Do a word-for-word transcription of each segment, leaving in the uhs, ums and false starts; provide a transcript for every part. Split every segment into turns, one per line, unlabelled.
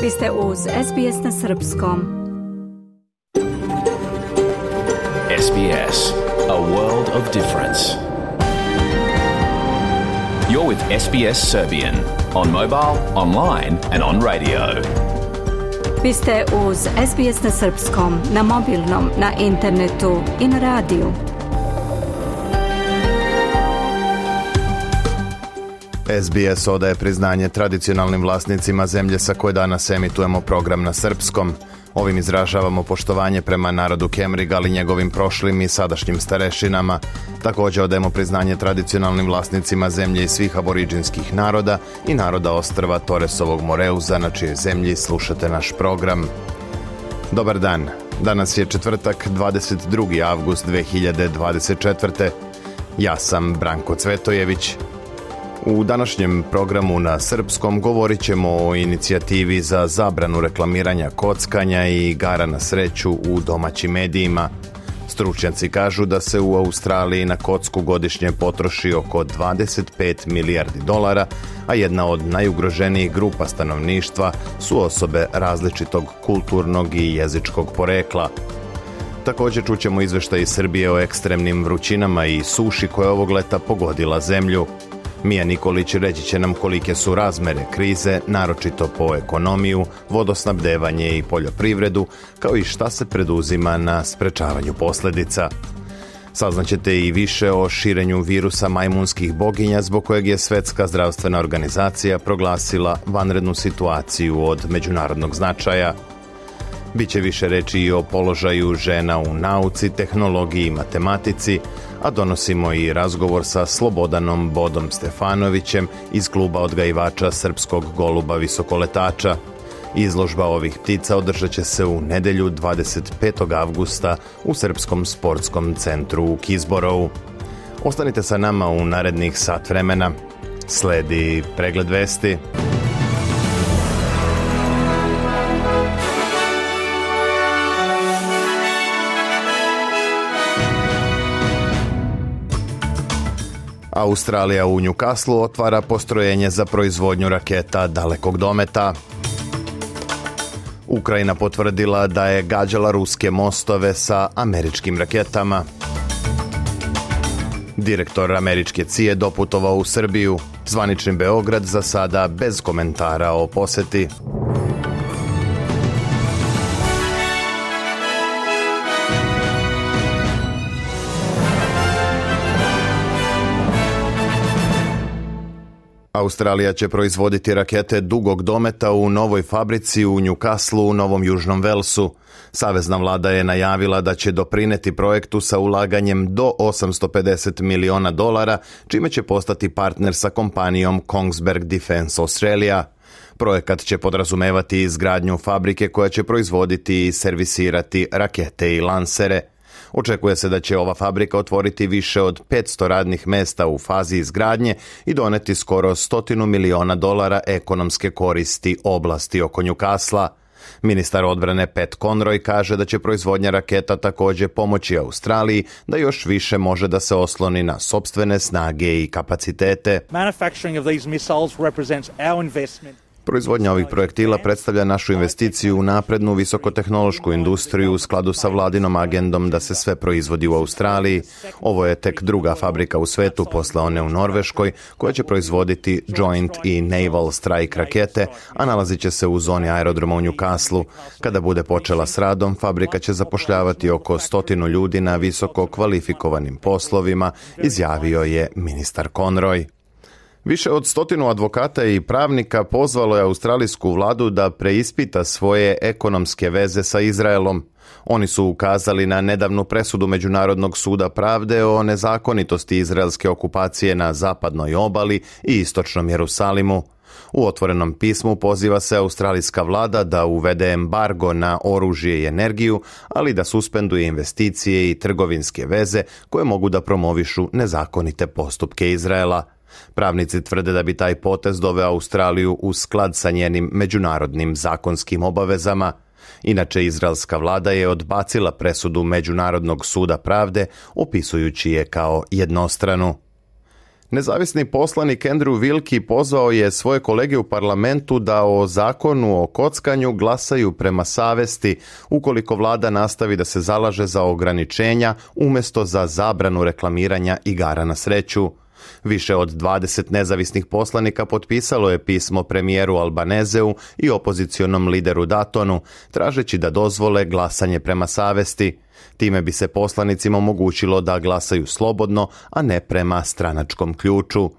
Vi ste uz S B S na srpskom.
S B S, a world of difference. You're with S B S Serbian on mobile, online and on radio.
Vi ste uz S B S na srpskom, na mobilnom, na internetu i na radiju.
S B S odaje priznanje tradicionalnim vlasnicima zemlje sa koje danas emitujemo program na srpskom. Ovim izražavamo poštovanje prema narodu Kemriga, ali njegovim prošlim i sadašnjim starešinama. Također odajemo priznanje tradicionalnim vlasnicima zemlje i svih aboriđinskih naroda i naroda ostrva Toresovog Moreuza, na čijoj zemlji slušate naš program. Dobar dan. Danas je četvrtak, dvadeset drugi avgust dve hiljade dvadeset četvrte. Ja sam Branko Cvetojević. U današnjem programu na srpskom govorit ćemo o inicijativi za zabranu reklamiranja kockanja i igara na sreću u domaćim medijima. Stručnjaci kažu da se u Australiji na kocku godišnje potroši oko dvadeset pet milijardi dolara, a jedna od najugroženijih grupa stanovništva su osobe različitog kulturnog i jezičkog porekla. Također čućemo izveštaj iz Srbije o ekstremnim vrućinama i suši koja ovog leta pogodila zemlju. Mija Nikolić reći će nam kolike su razmere krize, naročito po ekonomiju, vodosnabdevanje i poljoprivredu, kao i šta se preduzima na sprečavanju posljedica. Saznaćete i više o širenju virusa majmunskih boginja, zbog kojeg je Svjetska zdravstvena organizacija proglasila vanrednu situaciju od međunarodnog značaja. Biće više reći i o položaju žena u nauci, tehnologiji i matematici, a donosimo i razgovor sa Slobodanom Bodom Stefanovićem iz kluba odgajivača srpskog goluba visokoletača. Izložba ovih ptica održat će se u nedjelju dvadeset petog avgusta u Srpskom sportskom centru u Kizborovu. Ostanite sa nama u narednih sat vremena. Sledi pregled vesti. Australija u Newcastlu otvara postrojenje za proizvodnju raketa dalekog dometa. Ukrajina potvrdila da je gađala ruske mostove sa američkim raketama. Direktor američke C I A doputovao u Srbiju. Zvanični Beograd za sada bez komentara o poseti. Australija će proizvoditi rakete dugog dometa u novoj fabrici u Newcastlu u Novom Južnom Velsu. Savezna vlada je najavila da će doprineti projektu sa ulaganjem do osamsto pedeset miliona dolara, čime će postati partner sa kompanijom Kongsberg Defence Australia. Projekat će podrazumevati izgradnju fabrike koja će proizvoditi i servisirati rakete i lansere. Očekuje se da će ova fabrika otvoriti više od petsto radnih mesta u fazi izgradnje i doneti skoro stotinu miliona dolara ekonomske koristi oblasti oko Newcastla. Ministar odbrane Pat Conroy kaže da će proizvodnja raketa također pomoći Australiji da još više može da se osloni na sopstvene snage i kapacitete.
Manufacturing of these missiles represents our investment.
Proizvodnja ovih projektila predstavlja našu investiciju u naprednu visokotehnološku industriju u skladu sa vladinom agendom da se sve proizvodi u Australiji. Ovo je tek druga fabrika u svetu posle one u Norveškoj koja će proizvoditi Joint i Naval Strike rakete, a nalazit će se u zoni aerodroma u Newcastlu. Kada bude počela s radom, fabrika će zapošljavati oko stotinu ljudi na visoko kvalifikovanim poslovima, izjavio je ministar Conroy. Više od stotinu advokata i pravnika pozvalo je australijsku vladu da preispita svoje ekonomske veze sa Izraelom. Oni su ukazali na nedavnu presudu Međunarodnog suda pravde o nezakonitosti izraelske okupacije na zapadnoj obali i istočnom Jerusalimu. U otvorenom pismu poziva se australijska vlada da uvede embargo na oružje i energiju, ali da suspenduje investicije i trgovinske veze koje mogu da promovišu nezakonite postupke Izraela. Pravnici tvrde da bi taj potez doveo Australiju u sklad sa njenim međunarodnim zakonskim obavezama. Inače, izraelska vlada je odbacila presudu Međunarodnog suda pravde, opisujući je kao jednostranu. Nezavisni poslanik Andrew Wilkie pozvao je svoje kolege u parlamentu da o zakonu o kockanju glasaju prema savesti ukoliko vlada nastavi da se zalaže za ograničenja umjesto za zabranu reklamiranja igara na sreću. Više od dvadeset nezavisnih poslanika potpisalo je pismo premijeru Albanezeu i opozicionom lideru Datonu, tražeći da dozvole glasanje prema savesti. Time bi se poslanicima omogućilo da glasaju slobodno, a ne prema stranačkom ključu.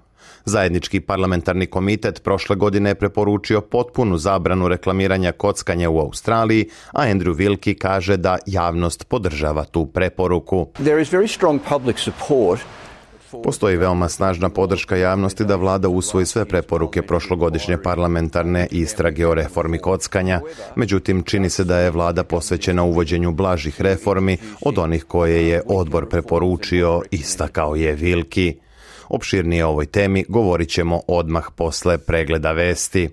Zajednički parlamentarni komitet prošle godine je preporučio potpunu zabranu reklamiranja kockanja u Australiji, a Andrew Wilkie kaže da javnost podržava tu preporuku.
There is very strong public support.
Postoji veoma snažna podrška javnosti da vlada usvoji sve preporuke prošlogodišnje parlamentarne istrage o reformi kockanja. Međutim, čini se da je vlada posvećena uvođenju blažih reformi od onih koje je odbor preporučio, istakao je Wilkie. Opširnije o ovoj temi govorit ćemo odmah posle pregleda vesti.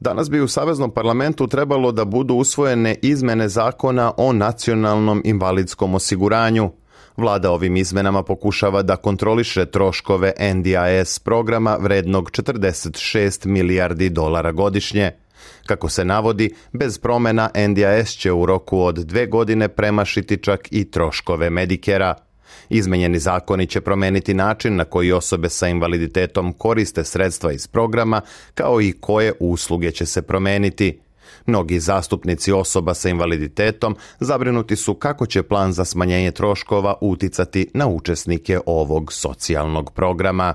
Danas bi u Saveznom parlamentu trebalo da budu usvojene izmene zakona o nacionalnom invalidskom osiguranju. Vlada ovim izmenama pokušava da kontroliše troškove N D I S programa vrednog četrdeset šest milijardi dolara godišnje. Kako se navodi, bez promjena N D I S će u roku od dve godine premašiti čak i troškove Medikera. Izmenjeni zakoni će promeniti način na koji osobe sa invaliditetom koriste sredstva iz programa, kao i koje usluge će se promeniti. Mnogi zastupnici osoba sa invaliditetom zabrinuti su kako će plan za smanjenje troškova uticati na učesnike ovog socijalnog programa.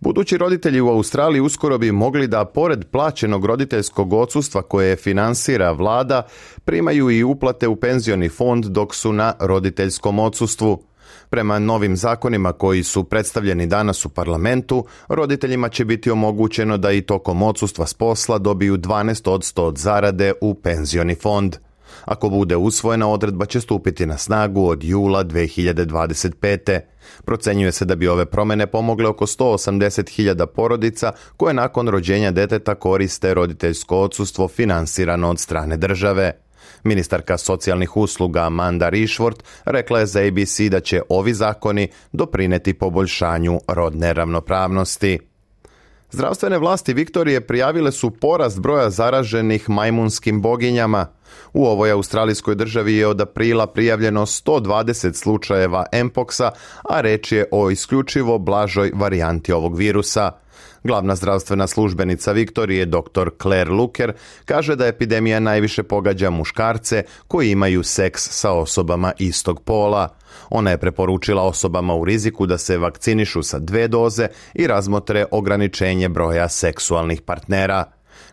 Budući roditelji u Australiji uskoro bi mogli da, pored plaćenog roditeljskog odsustva koje finansira vlada, primaju i uplate u penzioni fond dok su na roditeljskom odsustvu. Prema novim zakonima koji su predstavljeni danas u parlamentu, roditeljima će biti omogućeno da i tokom odsustva s posla dobiju dvanaest posto od zarade u penzioni fond. Ako bude usvojena, odredba će stupiti na snagu od jula dve hiljade dvadeset pete. Procenjuje se da bi ove promjene pomogle oko sto osamdeset hiljada porodica koje nakon rođenja deteta koriste roditeljsko odsustvo finansirano od strane države. Ministarka socijalnih usluga Amanda Rishworth rekla je za A B C da će ovi zakoni doprineti poboljšanju rodne ravnopravnosti. Zdravstvene vlasti Viktorije prijavile su porast broja zaraženih majmunskim boginjama. U ovoj australijskoj državi je od aprila prijavljeno sto dvadeset slučajeva Mpoxa, a reč je o isključivo blažoj varijanti ovog virusa. Glavna zdravstvena službenica Viktorije, doktor Claire Luker, kaže da epidemija najviše pogađa muškarce koji imaju seks sa osobama istog pola. Ona je preporučila osobama u riziku da se vakcinišu sa dve doze i razmotre ograničenje broja seksualnih partnera.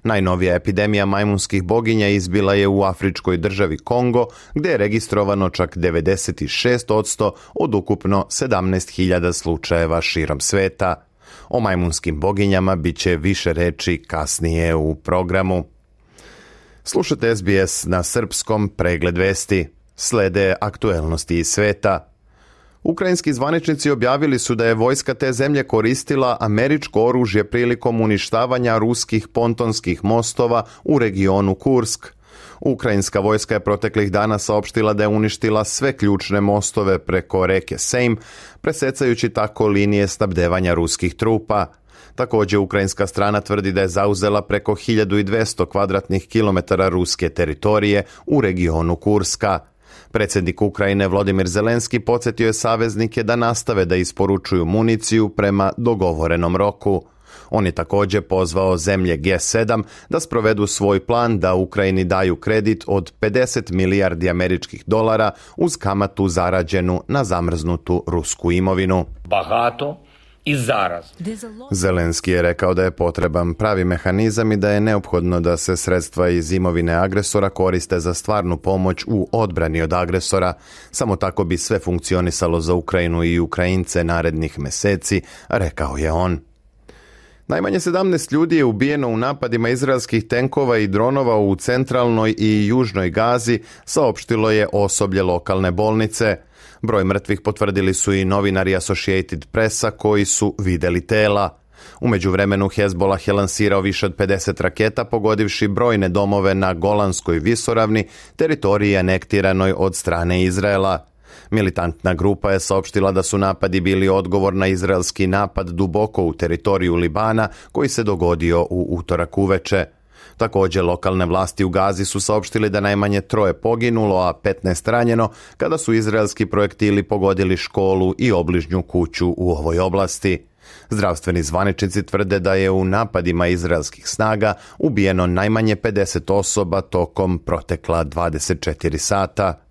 Najnovija epidemija majmunskih boginja izbila je u afričkoj državi Kongo, gdje je registrovano čak devedeset šest posto od ukupno sedamnaest hiljada slučajeva širom sveta. O majmunskim boginjama bit će više reči kasnije u programu. Slušate S B S na srpskom, pregled vesti. Slede aktuelnosti iz sveta. Ukrajinski zvaničnici objavili su da je vojska te zemlje koristila američko oružje prilikom uništavanja ruskih pontonskih mostova u regionu Kursk. Ukrajinska vojska je proteklih dana saopštila da je uništila sve ključne mostove preko reke Sejm, presecajući tako linije snabdevanja ruskih trupa. Također, ukrajinska strana tvrdi da je zauzela preko hiljadu dvesta kvadratnih kilometara ruske teritorije u regionu Kurska. Predsjednik Ukrajine Volodymyr Zelenski podsjetio je saveznike da nastave da isporučuju municiju prema dogovorenom roku. On je također pozvao zemlje G sedam da sprovedu svoj plan da Ukrajini daju kredit od pedeset milijardi američkih dolara uz kamatu zarađenu na zamrznutu rusku imovinu.
Bagato i zaraz.
Zelenski je rekao da je potreban pravi mehanizam i da je neophodno da se sredstva iz imovine agresora koriste za stvarnu pomoć u odbrani od agresora. Samo tako bi sve funkcionisalo za Ukrajinu i Ukrajince narednih meseci, rekao je on. Najmanje sedamnaest ljudi je ubijeno u napadima izraelskih tenkova i dronova u centralnoj i južnoj Gazi, saopštilo je osoblje lokalne bolnice. Broj mrtvih potvrdili su i novinari Associated Pressa koji su vidjeli tela. U međuvremenu Hezbollah je lansirao više od pedeset raketa, pogodivši brojne domove na Golanskoj visoravni, teritoriji anektiranoj od strane Izraela. Militantna grupa je saopštila da su napadi bili odgovor na izraelski napad duboko u teritoriju Libana koji se dogodio u utorak uveče. Također, lokalne vlasti u Gazi su saopštili da najmanje troje poginulo, a petnaest ranjeno kada su izraelski projektili pogodili školu i obližnju kuću u ovoj oblasti. Zdravstveni zvaničnici tvrde da je u napadima izraelskih snaga ubijeno najmanje pedeset osoba tokom protekla dvadeset četiri sata.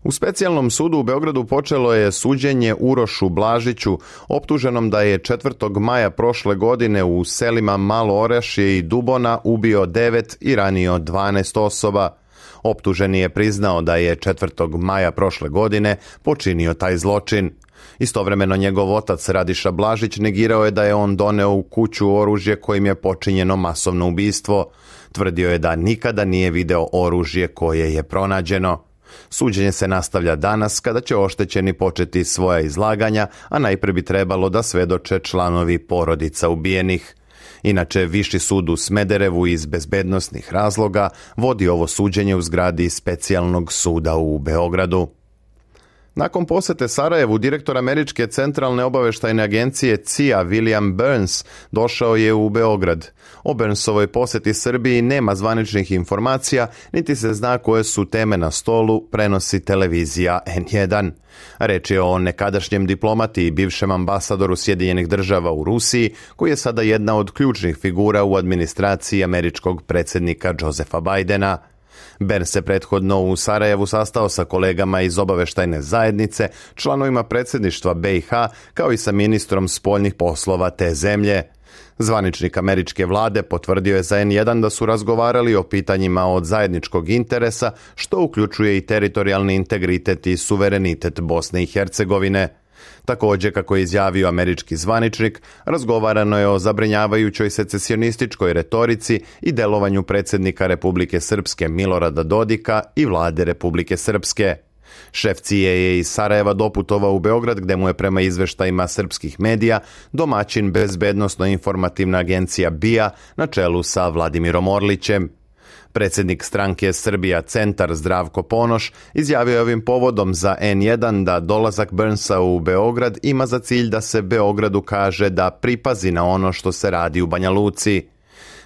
U specijalnom sudu u Beogradu počelo je suđenje Urošu Blažiću, optuženom da je četvrtog maja prošle godine u selima Malo Orašje i Dubona ubio devet i ranio dvanaest osoba. Optuženi je priznao da je četvrtog maja prošle godine počinio taj zločin. Istovremeno njegov otac Radiša Blažić negirao je da je on doneo u kuću oružje kojim je počinjeno masovno ubistvo. Tvrdio je da nikada nije video oružje koje je pronađeno. Suđenje se nastavlja danas kada će oštećeni početi svoja izlaganja, a najprije bi trebalo da svedoče članovi porodica ubijenih. Inače, Viši sud u Smederevu iz bezbednosnih razloga vodi ovo suđenje u zgradi specijalnog suda u Beogradu. Nakon posete Sarajevu, direktor Američke centralne obaveštajne agencije C I A William Burns došao je u Beograd. O Burnsovoj poseti Srbiji nema zvaničnih informacija, niti se zna koje su teme na stolu, prenosi televizija N jedan. Reč je o nekadašnjem diplomati i bivšem ambasadoru Sjedinjenih država u Rusiji, koji je sada jedna od ključnih figura u administraciji američkog predsjednika Josepha Bidena. Burns se prethodno u Sarajevu sastao sa kolegama iz obaveštajne zajednice, članovima predsjedništva B i H, kao i sa ministrom spoljnih poslova te zemlje. Zvaničnik američke vlade potvrdio je za N jedan da su razgovarali o pitanjima od zajedničkog interesa, što uključuje i teritorijalni integritet i suverenitet Bosne i Hercegovine. Također, kako je izjavio američki zvaničnik, razgovarano je o zabrinjavajućoj secesionističkoj retorici i delovanju predsjednika Republike Srpske Milorada Dodika i vlade Republike Srpske. Šef C I A je iz Sarajeva doputovao u Beograd, gde mu je prema izveštajima srpskih medija domaćin bezbednosno-informativna agencija B I A na čelu sa Vladimirom Orlićem. Predsjednik stranke Srbija Centar Zdravko Ponoš izjavio je ovim povodom za N jedan da dolazak Burnsa u Beograd ima za cilj da se Beogradu kaže da pripazi na ono što se radi u Banja Luci.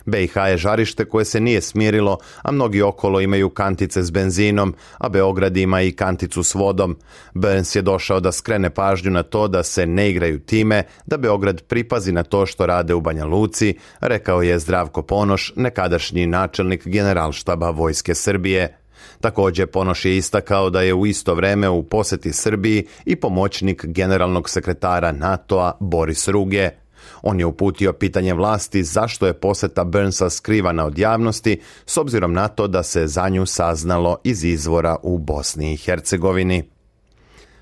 B i H je žarište koje se nije smirilo, a mnogi okolo imaju kantice s benzinom, a Beograd ima i kanticu s vodom. Burns je došao da skrene pažnju na to da se ne igraju time, da Beograd pripazi na to što rade u Banja Luci, rekao je Zdravko Ponoš, nekadašnji načelnik Generalštaba Vojske Srbije. Također, Ponoš je istakao da je u isto vreme u posjeti Srbiji i pomoćnik generalnog sekretara NATO-a Boris Ruge. On je uputio pitanje vlasti zašto je posjeta Burnsa skrivana od javnosti, s obzirom na to da se za nju saznalo iz izvora u Bosni i Hercegovini.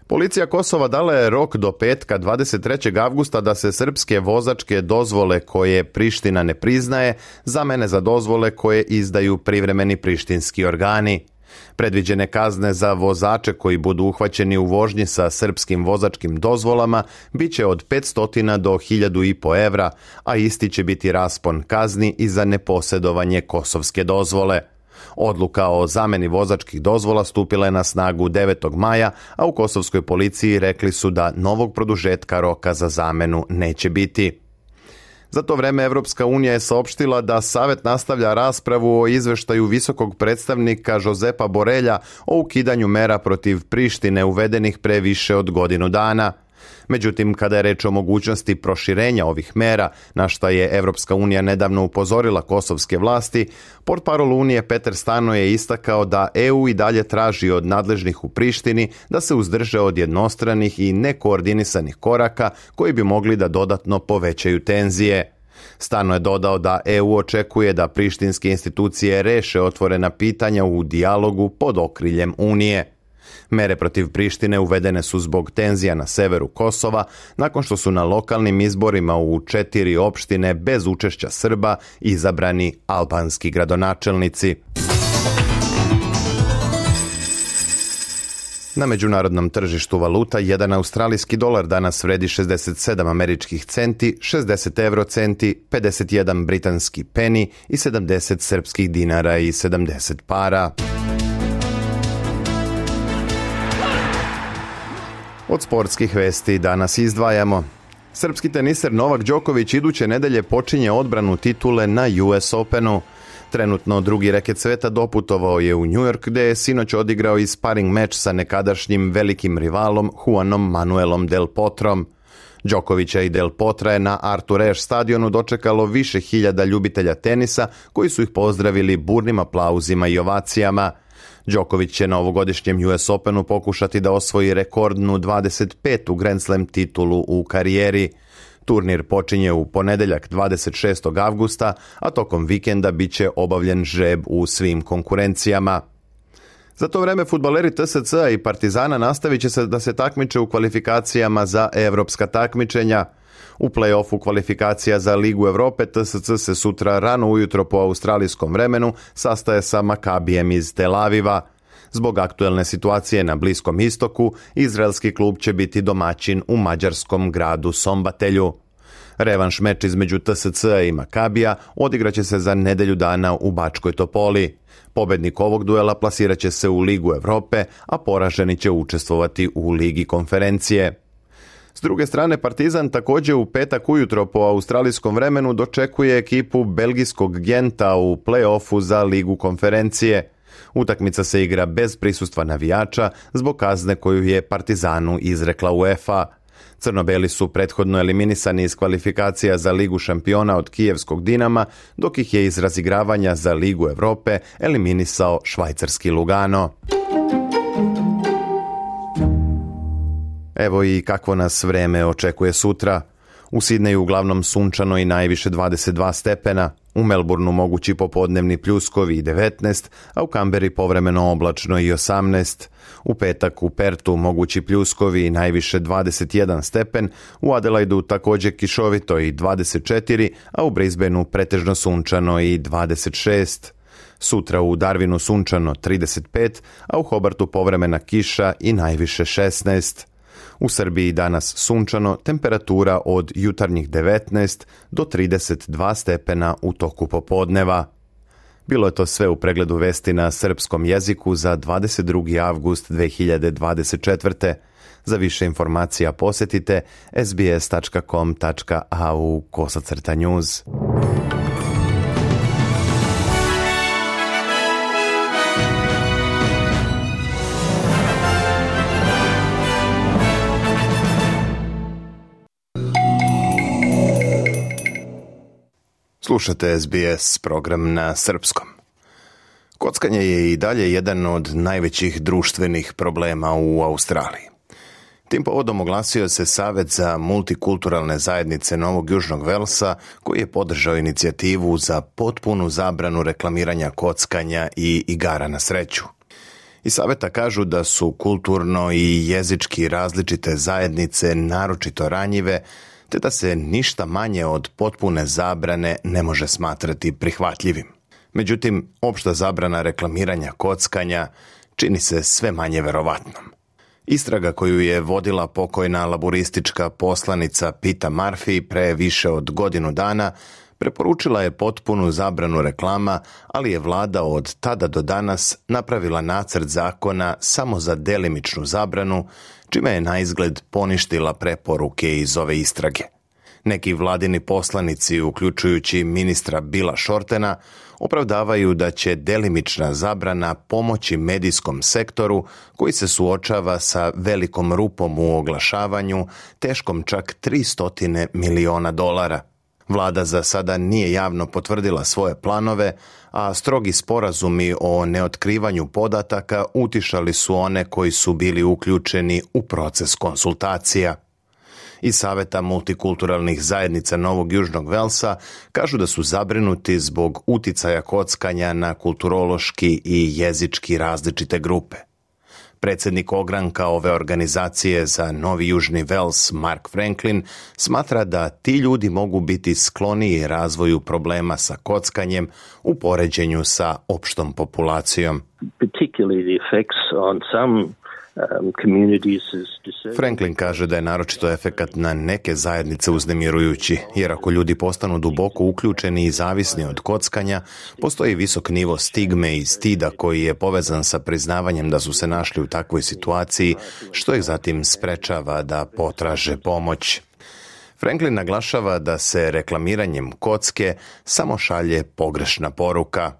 Policija Kosova dala je rok do petka dvadeset trećeg avgusta da se srpske vozačke dozvole koje Priština ne priznaje zamene za dozvole koje izdaju privremeni prištinski organi. Predviđene kazne za vozače koji budu uhvaćeni u vožnji sa srpskim vozačkim dozvolama bit će od petsto do hiljadu i po evra, a isti će biti raspon kazni i za neposjedovanje kosovske dozvole. Odluka o zameni vozačkih dozvola stupila je na snagu devetog maja, a u kosovskoj policiji rekli su da novog produžetka roka za zamenu neće biti. Za to vreme Evropska unija je saopštila da Savet nastavlja raspravu o izveštaju visokog predstavnika Josepa Borelja o ukidanju mera protiv Prištine uvedenih pre više od godinu dana. Međutim, kada je reč o mogućnosti proširenja ovih mera, na šta je Evropska unija nedavno upozorila kosovske vlasti, portparol Unije Peter Stano je istakao da E U i dalje traži od nadležnih u Prištini da se uzdrže od jednostranih i nekoordinisanih koraka koji bi mogli da dodatno povećaju tenzije. Stano je dodao da E U očekuje da prištinske institucije reše otvorena pitanja u dijalogu pod okriljem Unije. Mere protiv Prištine uvedene su zbog tenzija na severu Kosova, nakon što su na lokalnim izborima u četiri opštine bez učešća Srba izabrani albanski gradonačelnici. Na međunarodnom tržištu valuta jedan australijski dolar danas vredi šezdeset sedam američkih centi, šezdeset euro centi, pedeset jedan britanski peni i sedamdeset srpskih dinara i sedamdeset para. Od sportskih vesti danas izdvajamo. Srpski teniser Novak Đoković iduće nedelje počinje odbranu titule na U S Openu. Trenutno drugi reket sveta doputovao je u New York, gde je sinoć odigrao i sparing meč sa nekadašnjim velikim rivalom Juanom Manuelom Del Potrom. Đokovića i Del Potra je na Arthur Ashe stadionu dočekalo više hiljada ljubitelja tenisa koji su ih pozdravili burnim aplauzima i ovacijama. Đoković će na ovogodišnjem U S Openu pokušati da osvoji rekordnu dvadeset petu Grand Slam titulu u karijeri. Turnir počinje u ponedeljak dvadeset šestog avgusta, a tokom vikenda bit će obavljen žreb u svim konkurencijama. Za to vreme fudbaleri T S C-a i Partizana nastavit će se da se takmiče u kvalifikacijama za evropska takmičenja. U play-offu kvalifikacija za Ligu Evrope T S C se sutra rano ujutro po australijskom vremenu sastaje sa Makabijem iz Tel Aviva. Zbog aktuelne situacije na Bliskom istoku, izraelski klub će biti domaćin u mađarskom gradu Sombatelju. Revanš meč između T S C-a i Makabija odigraće se za nedelju dana u Bačkoj Topoli. Pobednik ovog duela plasirat će se u Ligu Evrope, a poraženi će učestvovati u Ligi konferencije. S druge strane, Partizan također u petak ujutro po australijskom vremenu dočekuje ekipu belgijskog Genta u play-offu za Ligu konferencije. Utakmica se igra bez prisustva navijača zbog kazne koju je Partizanu izrekla UEFA. Crnobeli su prethodno eliminisani iz kvalifikacija za Ligu šampiona od kijevskog Dinama, dok ih je iz razigravanja za Ligu Evrope eliminisao švajcarski Lugano. Evo i kakvo nas vreme očekuje sutra. U Sidneju uglavnom sunčano i najviše dvadeset dva stepena, u Melbourneu mogući popodnevni pljuskovi i devetnaest, a u Kamberi povremeno oblačno i osamnaest. U petak u Pertu mogući pljuskovi i najviše dvadeset jedan stepen, u Adelaidu također kišovito i dvadeset četiri, a u Brisbaneu pretežno sunčano i dvadeset šest. Sutra u Darwinu sunčano trideset pet, a u Hobartu povremena kiša i najviše šesnaest. U Srbiji danas sunčano, temperatura od jutarnjih devetnaest do trideset dva stepena u toku popodneva. Bilo je to sve u pregledu vesti na srpskom jeziku za dvadeset drugi avgust dve hiljade dvadeset četvrte. Za više informacija posjetite sbs tačka com tačka a u kosacrta news. Slušate S B S program na srpskom. Kockanje je i dalje jedan od najvećih društvenih problema u Australiji. Tim povodom oglasio se Savet za multikulturalne zajednice Novog Južnog Velsa, koji je podržao inicijativu za potpunu zabranu reklamiranja kockanja i igara na sreću. Iz saveta kažu da su kulturno i jezički različite zajednice naročito ranjive, te da se ništa manje od potpune zabrane ne može smatrati prihvatljivim. Međutim, opšta zabrana reklamiranja kockanja čini se sve manje verovatnom. Istraga koju je vodila pokojna laburistička poslanica Peta Murphy pre više od godinu dana preporučila je potpunu zabranu reklama, ali je vlada od tada do danas napravila nacrt zakona samo za delimičnu zabranu, čime je naizgled poništila preporuke iz ove istrage. Neki vladini poslanici, uključujući ministra Billa Shortena, opravdavaju da će delimična zabrana pomoći medijskom sektoru koji se suočava sa velikom rupom u oglašavanju, teškom čak tristo miliona dolara. Vlada za sada nije javno potvrdila svoje planove, a strogi sporazumi o neotkrivanju podataka utišali su one koji su bili uključeni u proces konsultacija. Iz Saveta multikulturalnih zajednica Novog Južnog Velsa kažu da su zabrinuti zbog uticaja kockanja na kulturološki i jezički različite grupe. Predsjednik ogranka ove organizacije za Novi Južni Vels, Mark Franklin, smatra da ti ljudi mogu biti skloniji razvoju problema sa kockanjem u poređenju sa opštom populacijom.
Particularly the effects on some
Franklin kaže da je naročito efekat na neke zajednice uznemirujući, jer ako ljudi postanu duboko uključeni i zavisni od kockanja, postoji visok nivo stigme i stida koji je povezan sa priznavanjem da su se našli u takvoj situaciji, što ih zatim sprečava da potraže pomoć. Franklin naglašava da se reklamiranjem kocke samo šalje pogrešna poruka.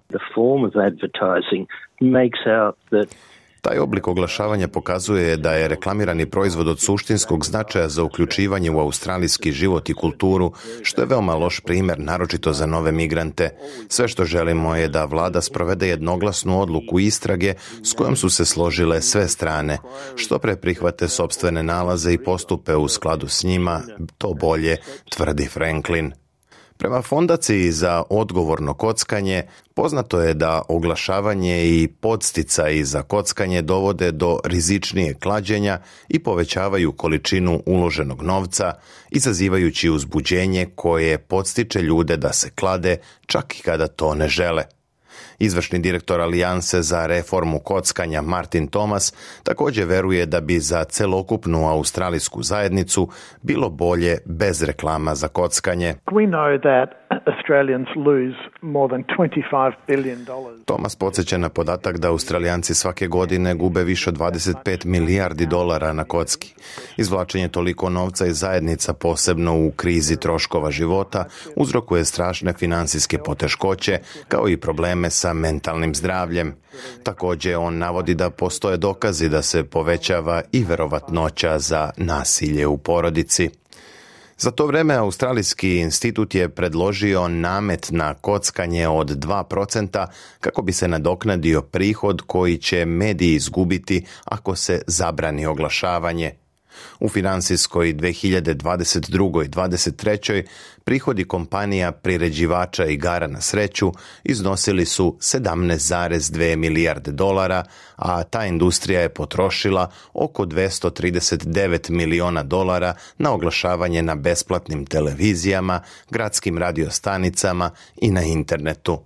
Taj oblik oglašavanja pokazuje da je reklamirani proizvod od suštinskog značaja za uključivanje u australijski život i kulturu, što je veoma loš primjer, naročito za nove migrante. Sve što želimo je da vlada sprovede jednoglasnu odluku istrage s kojom su se složile sve strane. Što pre prihvate sopstvene nalaze i postupe u skladu s njima, to bolje, tvrdi Franklin. Prema Fondaciji za odgovorno kockanje, poznato je da oglašavanje i podsticaji za kockanje dovode do rizičnijeg klađenja i povećavaju količinu uloženog novca, izazivajući uzbuđenje koje podstiče ljude da se klade čak i kada to ne žele. Izvršni direktor Alijanse za reformu kockanja Martin Thomas također veruje da bi za celokupnu australijsku zajednicu bilo bolje bez reklama za kockanje.
We know that Australians lose more than twenty-five billion dollars.
Thomas podsjeća na podatak da Australijanci svake godine gube više od dvadeset pet milijardi dolara na kocki. Izvlačenje toliko novca iz zajednica, posebno u krizi troškova života, uzrokuje strašne financijske poteškoće, kao i probleme sa mentalnim zdravljem. Također on navodi da postoje dokazi da se povećava i verovatnoća za nasilje u porodici. Za to vrijeme Australijski institut je predložio namet na kockanje od dva procenta kako bi se nadoknadio prihod koji će mediji izgubiti ako se zabrani oglašavanje. U financijskoj dvije hiljade dvadeset druge. i dvadeset trećoj. prihodi kompanija priređivača igara na sreću iznosili su sedamnaest zarez dvije milijarde dolara, a ta industrija je potrošila oko dvjesto trideset devet miliona dolara na oglašavanje na besplatnim televizijama, gradskim radiostanicama i na internetu.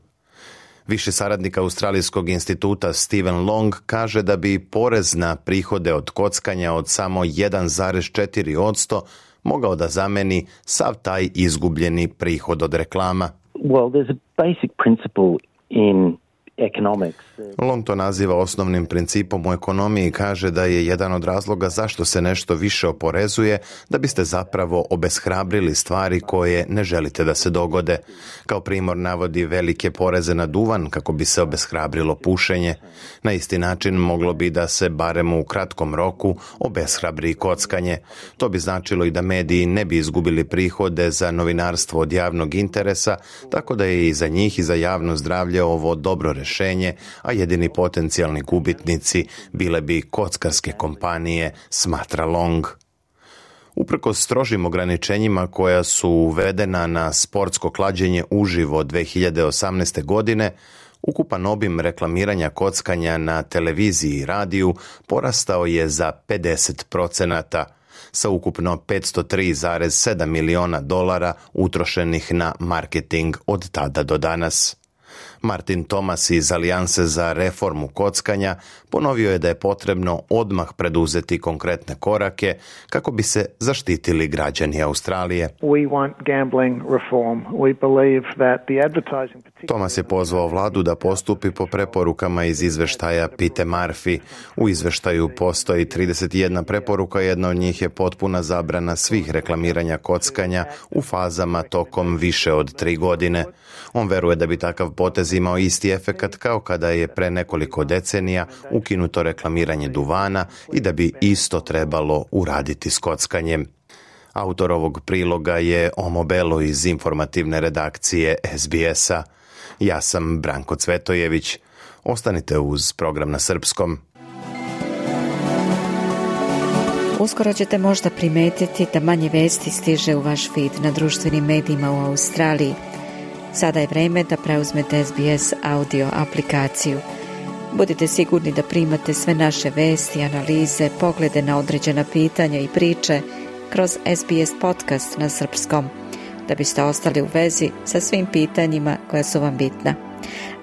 Viši saradnik Australijskog instituta Steven Long kaže da bi porez na prihode od kockanja od samo jedan zarez četiri posto mogao da zameni sav taj izgubljeni prihod od reklama.
Well, there's a basic principle in economics.
Long to naziva osnovnim principom u ekonomiji i kaže da je jedan od razloga zašto se nešto više oporezuje da biste zapravo obeshrabrili stvari koje ne želite da se dogode. Kao primjer navodi velike poreze na duvan kako bi se obeshrabrilo pušenje. Na isti način moglo bi da se barem u kratkom roku obeshrabri kockanje. To bi značilo i da mediji ne bi izgubili prihode za novinarstvo od javnog interesa, tako da je i za njih i za javno zdravlje ovo dobro rješenje, a jedini potencijalni gubitnici bile bi kockarske kompanije, smatra Long. Uprkos strožim ograničenjima koja su uvedena na sportsko klađenje uživo dvije hiljade osamnaeste. godine, ukupan obim reklamiranja kockanja na televiziji i radiju porastao je za pedeset procenata, sa ukupno petsto tri zarez sedam miliona dolara utrošenih na marketing od tada do danas. Martin Thomas iz Alijanse za reformu kockanja ponovio je da je potrebno odmah preduzeti konkretne korake kako bi se zaštitili građani Australije.
We want gambling reform. We believe that the advertising
Thomas je pozvao vladu da postupi po preporukama iz izveštaja Pete Murphy. U izveštaju postoji trideset jedna preporuka, jedna od njih je potpuna zabrana svih reklamiranja kockanja u fazama tokom više od tri godine. On veruje da bi takav potez imao isti efekat kao kada je pre nekoliko decenija ukinuto reklamiranje duvana i da bi isto trebalo uraditi s kockanjem. Autor ovog priloga je Omo Belo iz informativne redakcije S B S-a. Ja sam Branko Cvetojević. Ostanite uz program na srpskom.
Uskoro ćete možda primetiti da manje vesti stiže u vaš feed na društvenim medijima u Australiji. Sada je vreme da preuzmete S B S audio aplikaciju. Budite sigurni da primate sve naše vesti, analize, poglede na određena pitanja i priče kroz S B S podcast na srpskom, da biste ostali u vezi sa svim pitanjima koja su vam bitna.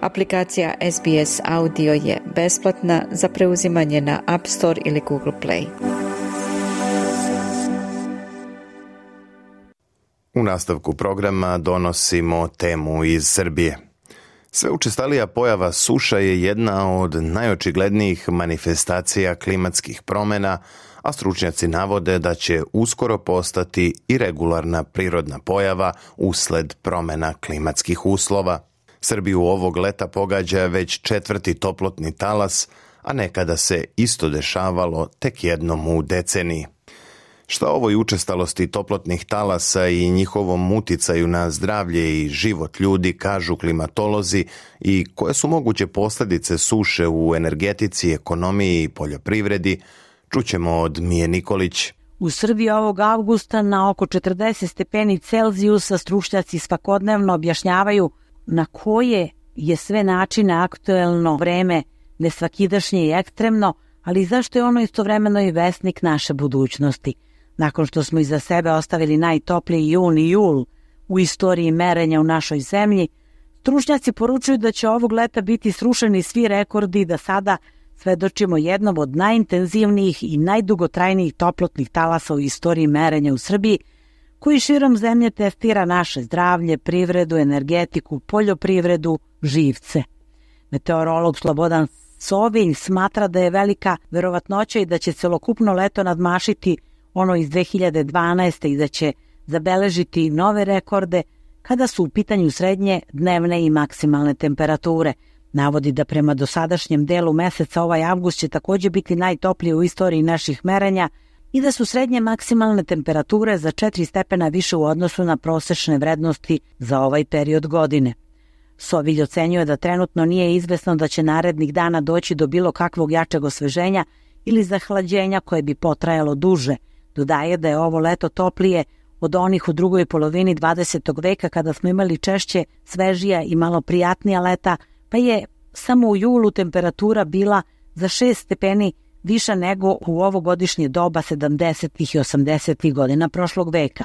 Aplikacija S B S Audio je besplatna za preuzimanje na App Store ili Google Play.
U nastavku programa donosimo temu iz Srbije. Sve učestalija pojava suša je jedna od najočiglednijih manifestacija klimatskih promjena, a stručnjaci navode da će uskoro postati i regularna prirodna pojava usled promjena klimatskih uslova. Srbiju ovog leta pogađa već četvrti toplotni talas, a nekada se isto dešavalo tek jednom u deceniji. Šta o ovoj učestalosti toplotnih talasa i njihovom uticaju na zdravlje i život ljudi kažu klimatolozi i koje su moguće posljedice suše u energetici, ekonomiji i poljoprivredi, čućemo od Mije Nikolić.
U Srbiji ovog avgusta na oko četrdeset stepeni Celzijusa stručnjaci svakodnevno objašnjavaju na koje je sve načine aktuelno vreme nesvakidašnje i ekstremno, ali zašto je ono istovremeno i vesnik naše budućnosti. Nakon što smo iza sebe ostavili najtopliji jun i jul u istoriji merenja u našoj zemlji, stručnjaci poručuju da će ovog leta biti srušeni svi rekordi i da sada svedočimo jednom od najintenzivnijih i najdugotrajnijih toplotnih talasa u istoriji merenja u Srbiji, koji širom zemlje testira naše zdravlje, privredu, energetiku, poljoprivredu, živce. Meteorolog Slobodan Sovilj smatra da je velika verovatnoća i da će celokupno leto nadmašiti ono iz dve hiljade dvanaeste. i da će zabeležiti nove rekorde kada su u pitanju srednje, dnevne i maksimalne temperature. Navodi da prema dosadašnjem delu meseca ovaj avgust će također biti najtopliji u istoriji naših merenja i da su srednje maksimalne temperature za četiri stepena više u odnosu na prosečne vrednosti za ovaj period godine. Sovilj ocenjuje da trenutno nije izvesno da će narednih dana doći do bilo kakvog jačeg osveženja ili zahlađenja koje bi potrajalo duže. Dodaje da je ovo leto toplije od onih u drugoj polovini dvadesetog veka kada smo imali češće, svežija i malo prijatnija leta, pa je samo u julu temperatura bila za šest stepeni viša nego u ovogodišnje doba sedamdesetih i osamdesetih godina prošlog veka.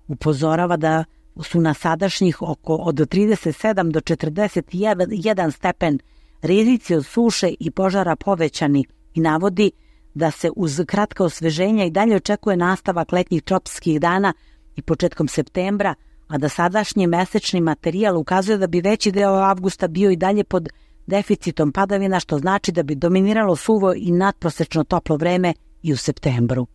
Upozorava da su na sadašnjih oko od trideset sedam do četrdeset jedan stepen rizici od suše i požara povećani i navodi da se uz kratka osveženja i dalje očekuje nastavak letnjih tropskih dana i početkom septembra, a da sadašnji mesečni materijal ukazuje da bi veći deo avgusta bio i dalje pod deficitom padavina, što znači da bi dominiralo suvo i nadprosečno toplo vreme i u septembru.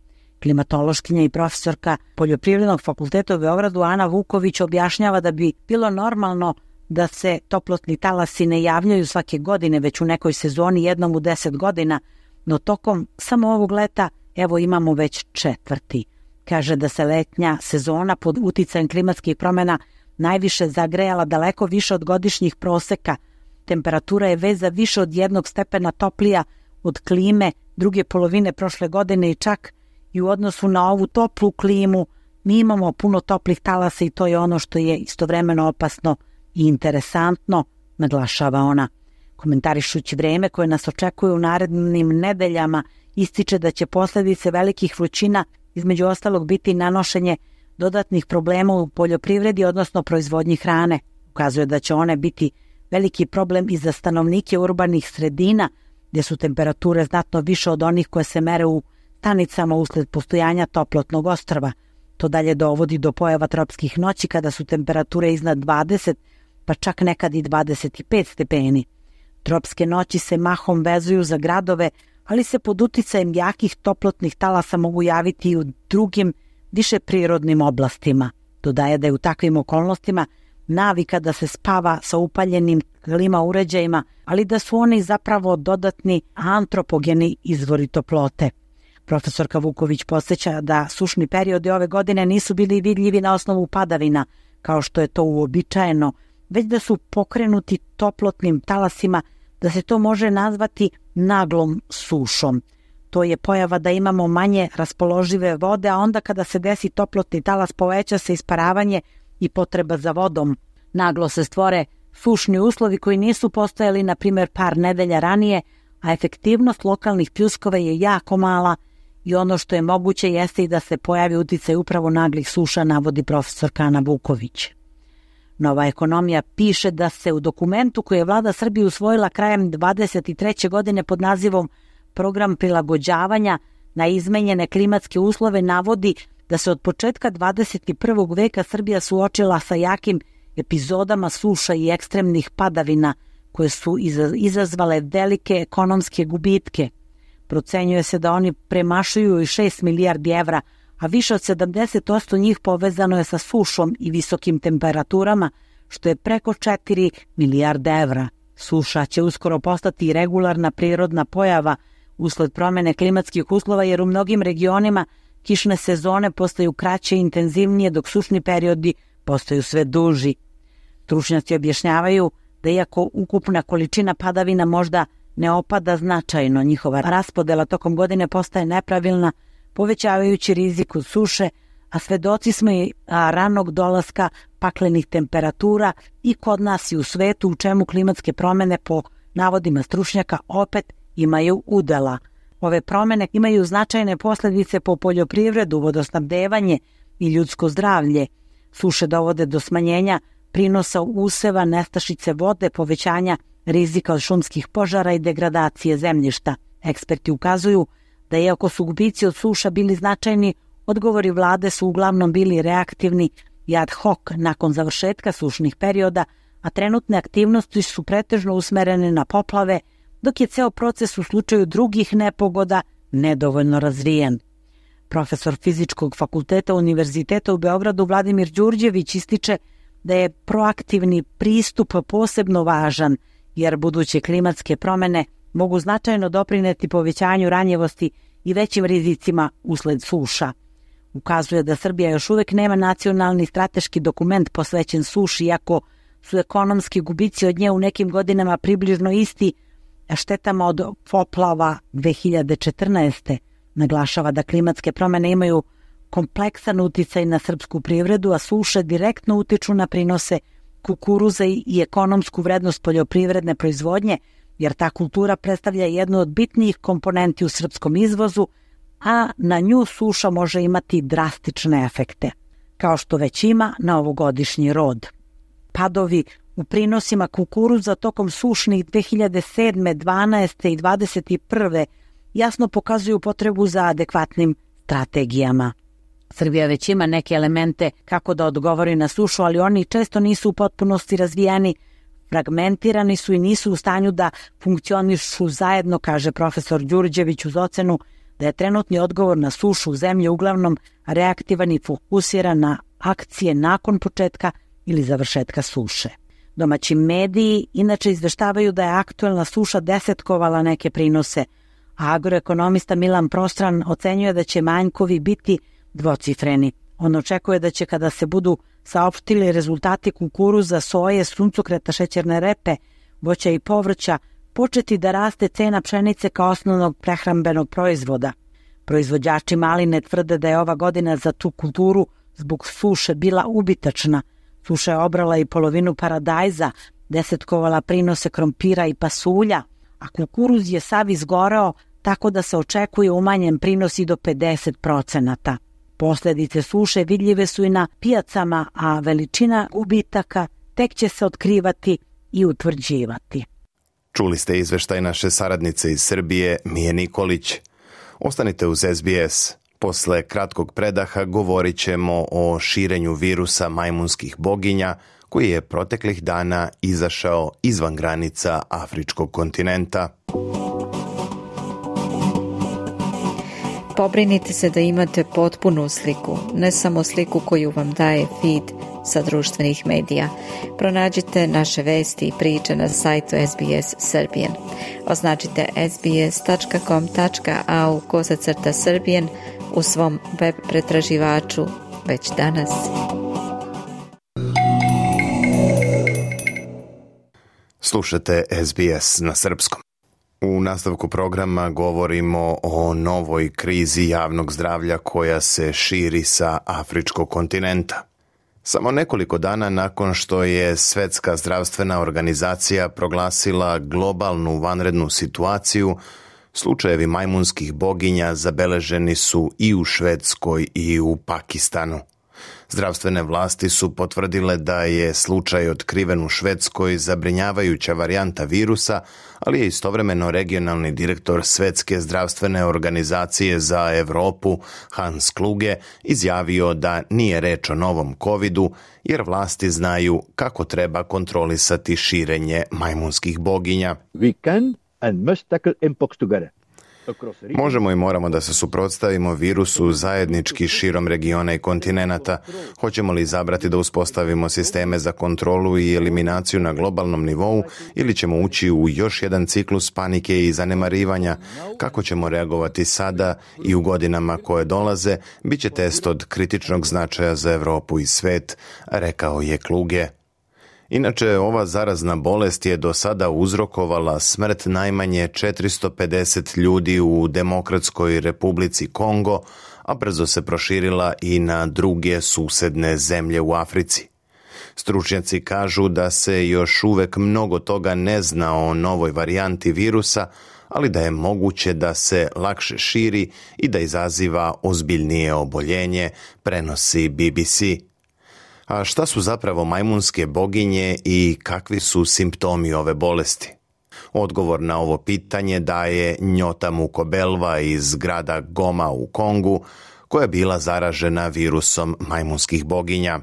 Klimatološkinja i profesorka Poljoprivrednog fakulteta u Beogradu Ana Vuković objašnjava da bi bilo normalno da se toplotni talasi ne javljaju svake godine, već u nekoj sezoni jednom u deset godina, no tokom samo ovog leta evo imamo već četvrti. Kaže da se letnja sezona pod uticajem klimatskih promjena najviše zagrejala daleko više od godišnjih proseka. Temperatura je već za više od jednog stepena toplija od klime druge polovine prošle godine i čak i u odnosu na ovu toplu klimu mi imamo puno toplih talasa i to je ono što je istovremeno opasno i interesantno, naglašava ona. Komentarišući vreme koje nas očekuje u narednim nedeljama, ističe da će posljedice velikih vrućina između ostalog biti nanošenje dodatnih problema u poljoprivredi, odnosno proizvodnji hrane. Ukazuje da će one biti veliki problem i za stanovnike urbanih sredina, gdje su temperature znatno više od onih koje se mere u stanicama usled postojanja toplotnog ostrva. To dalje dovodi do pojava tropskih noći kada su temperature iznad dvadeset, pa čak nekad i dvadeset pet stepeni. Tropske noći se mahom vezuju za gradove, ali se pod uticajem jakih toplotnih talasa mogu javiti i u drugim, više prirodnim oblastima. Dodaje da je u takvim okolnostima navika da se spava sa upaljenim klima uređajima, ali da su oni zapravo dodatni antropogeni izvori toplote. Profesorka Vuković podsjeća da sušni periodi ove godine nisu bili vidljivi na osnovu padavina, kao što je to uobičajeno, već da su pokrenuti toplotnim talasima, da se to može nazvati naglom sušom. To je pojava da imamo manje raspoložive vode, a onda kada se desi toplotni talas poveća se isparavanje i potreba za vodom. Naglo se stvore sušni uslovi koji nisu postojali, na primjer, par nedelja ranije, a efektivnost lokalnih pljuskova je jako mala i ono što je moguće jeste i da se pojavi uticaj upravo naglih suša, navodi profesor Ana Vuković. Nova ekonomija piše da se u dokumentu koji je vlada Srbije usvojila krajem dvadeset treće godine pod nazivom Program prilagođavanja na izmenjene klimatske uslove navodi da se od početka dvadeset prvog veka Srbija suočila sa jakim epizodama suša i ekstremnih padavina koje su izazvale velike ekonomske gubitke. Procenjuje se da oni premašuju i šest milijardi evra, a više od sedamdeset posto njih povezano je sa sušom i visokim temperaturama, što je preko četiri milijarde evra. Suša će uskoro postati regularna prirodna pojava usled promene klimatskih uslova, jer u mnogim regionima kišne sezone postaju kraće i intenzivnije, dok sušni periodi postaju sve duži. Stručnjaci objašnjavaju da iako ukupna količina padavina možda ne opada značajno, njihova raspodela tokom godine postaje nepravilna, povećavajući rizik od suše, a svedoci smo i ranog dolaska paklenih temperatura i kod nas i u svetu, u čemu klimatske promene po navodima stručnjaka opet imaju udela. Ove promene imaju značajne posljedice po poljoprivredu, vodosnabdevanje i ljudsko zdravlje. Suše dovode do smanjenja prinosa useva, nestašice vode, povećanja rizika od šumskih požara i degradacije zemljišta. Eksperti ukazuju da iako su gubici od suša bili značajni, odgovori vlade su uglavnom bili reaktivni i ad hoc nakon završetka sušnih perioda, a trenutne aktivnosti su pretežno usmerene na poplave, dok je ceo proces u slučaju drugih nepogoda nedovoljno razvijen. Profesor Fizičkog fakulteta Univerziteta u Beogradu Vladimir Đurđević ističe da je proaktivni pristup posebno važan, jer buduće klimatske promene mogu značajno doprineti povećanju ranjivosti i većim rizicima usled suša. Ukazuje da Srbija još uvek nema nacionalni strateški dokument posvećen suši, iako su ekonomski gubici od nje u nekim godinama približno isti štetama od poplava dve hiljade četrnaeste. Naglašava da klimatske promene imaju kompleksan uticaj na srpsku privredu, a suše direktno utiču na prinose kukuruza i ekonomsku vrednost poljoprivredne proizvodnje, jer ta kultura predstavlja jednu od bitnijih komponenti u srpskom izvozu, a na nju suša može imati drastične efekte, kao što već ima na ovogodišnji rod. Padovi u prinosima kukuruza tokom sušnih dve hiljade sedme, dvanaeste i dvadeset prve jasno pokazuju potrebu za adekvatnim strategijama. Srbija već ima neke elemente kako da odgovori na sušu, ali oni često nisu u potpunosti razvijeni, fragmentirani su i nisu u stanju da funkcionišu zajedno, kaže profesor Đurđević uz ocenu da je trenutni odgovor na sušu u zemlji uglavnom reaktivan i fokusiran na akcije nakon početka ili završetka suše. Domaći mediji inače izveštavaju da je aktuelna suša desetkovala neke prinose, a agroekonomista Milan Prostran ocenjuje da će manjkovi biti dvocifreni. On očekuje da će, kada se budu saopštili rezultati kukuruza, soje, suncokreta, šećerne repe, voća i povrća, početi da raste cena pšenice kao osnovnog prehrambenog proizvoda. Proizvođači maline tvrde da je ova godina za tu kulturu zbog suše bila ubitačna. Suša je obrala i polovinu paradajza, desetkovala prinose krompira i pasulja, a kukuruz je sav izgoreo, tako da se očekuje umanjen prinos i do pedeset procenata. Posljedice suše vidljive su i na pijacama, a veličina gubitaka tek će se otkrivati i utvrđivati.
Čuli ste izveštaj naše saradnice iz Srbije, Mije Nikolić. Ostanite uz S B S. Posle kratkog predaha govorit ćemo o širenju virusa majmunskih boginja koji je proteklih dana izašao izvan granica afričkog kontinenta.
Pobrinite se da imate potpunu sliku, ne samo sliku koju vam daje feed sa društvenih medija. Pronađite naše vesti i priče na sajtu S B S Serbian. Označite sbs.com.au kosacrta Serbian u svom web pretraživaču već danas.
Slušate S B S na srpskom. U nastavku programa govorimo o novoj krizi javnog zdravlja koja se širi sa afričkog kontinenta. Samo nekoliko dana nakon što je Svetska zdravstvena organizacija proglasila globalnu vanrednu situaciju, slučajevi majmunskih boginja zabeleženi su i u Švedskoj i u Pakistanu. Zdravstvene vlasti su potvrdile da je slučaj otkriven u Švedskoj zabrinjavajuća varijanta virusa, ali je istovremeno regionalni direktor Svetske zdravstvene organizacije za Europu Hans Kluge izjavio da nije reč o novom covidu, jer vlasti znaju kako treba kontrolisati širenje majmunskih boginja.
We can and must tackle mpox together.
Možemo i moramo da se suprotstavimo virusu zajednički širom regiona i kontinenata. Hoćemo li izabrati da uspostavimo sisteme za kontrolu i eliminaciju na globalnom nivou ili ćemo ući u još jedan ciklus panike i zanemarivanja? Kako ćemo reagovati sada i u godinama koje dolaze, bit će test od kritičnog značaja za Europu i svet, rekao je Kluge. Inače, ova zarazna bolest je do sada uzrokovala smrt najmanje četiristo pedeset ljudi u Demokratskoj Republici Kongo, a brzo se proširila i na druge susedne zemlje u Africi. Stručnjaci kažu da se još uvek mnogo toga ne zna o novoj varijanti virusa, ali da je moguće da se lakše širi i da izaziva ozbiljnije oboljenje, prenosi B B C. A šta su zapravo majmunske boginje i kakvi su simptomi ove bolesti? Odgovor na ovo pitanje daje Nyota Mukobelwa iz grada Goma u Kongu, koja je bila zaražena virusom majmunskih boginja.